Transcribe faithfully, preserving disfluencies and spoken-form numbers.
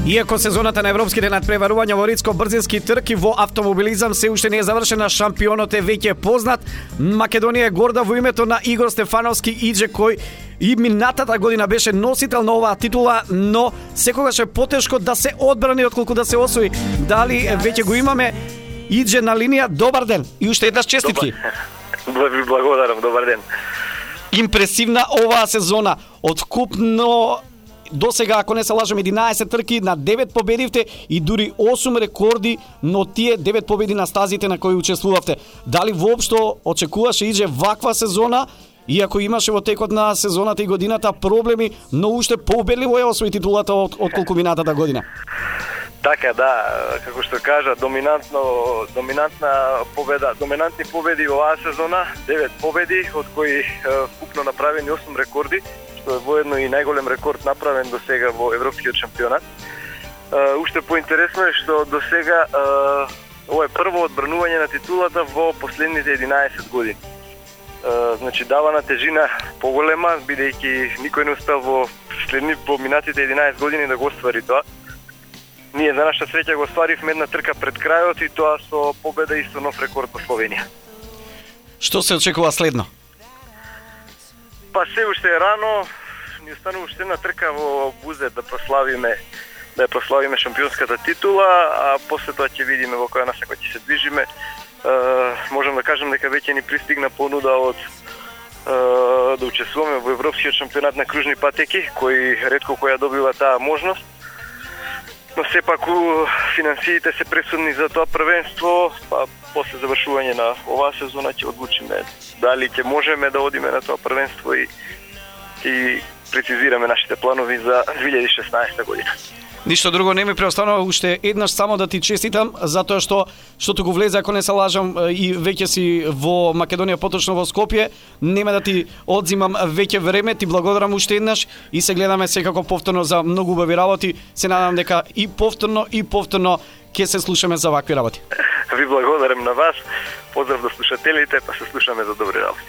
Иако сезоната на европските надпреварувања во ридско-брзински трки во автомобилизам се уште не е завршена, шампионот е веќе познат. Македонија е горда во името на Игор Стефановски Идже, кој и минатата година беше носител на оваа титула, но секогаш е потешко да се одбрани отколку да се освои. Дали веќе го имаме Идже на линија? Добар ден и уште еднаш честитки. Ви благодарам, добар ден. Импресивна оваа сезона, откупно до сега, ако не се лажам, единаесет трки, на девет победивте и дури осум рекорди, но тие девет победи на стазите на кои учествувавте. Дали воопшто очекуваше Идже ваква сезона, иако имаше во текот на сезоната и годината проблеми, но уште поубедливо е освои титулата од, од колку минатата година? Така, да, како што кажа, доминантно, доминантна победа, доминантни победи оваа сезона, девет победи, од кои вкупно направени осум рекорди, што е воедно и најголем рекорд направен до сега во европскиот шампионат. Uh, уште поинтересно е што до сега uh, ова е прво одбранување на титулата во последните единаесет години. Uh, значи дава на тежина поголема, бидејќи никој не успел во следни поминатите единаесет години да го оствари тоа. Ние за наша среќа го остваривме една трка пред крајот и тоа со победа и со нов рекорд во Словенија. Што се очекува следно? Па се уште е рано, ни останува уште една трка во Бузет да прославиме да ја прославиме шампионската титула, а после тоа ќе видиме во која насока ќе се движиме. Е, можам да кажам дека веќе ни пристигна понуда од е, да учествуваме во европскиот шампионат на кружни патеки, кој ретко која добива таа можност. Но сепак финансиите се пресудни за тоа првенство, па после завршување на оваа сезона ќе одлучиме дали ќе можеме да одиме на тоа првенство и и прецизираме нашите планови за две илјади и шеснаесета година. Ништо друго не ми преостанува, уште еднаш само да ти честитам, затоа што штото го влезе, ако не се лажам, и веќе си во Македонија, поточно во Скопје. Нема да ти одзимам веќе време, ти благодарам уште еднаш и се гледаме секако повторно за многу убави работи. Се надам дека и повторно и повторно ќе се слушаме за вакви работи. Ви благодарам на вас. Поздрав до слушателите, па се слушаме за добри работи.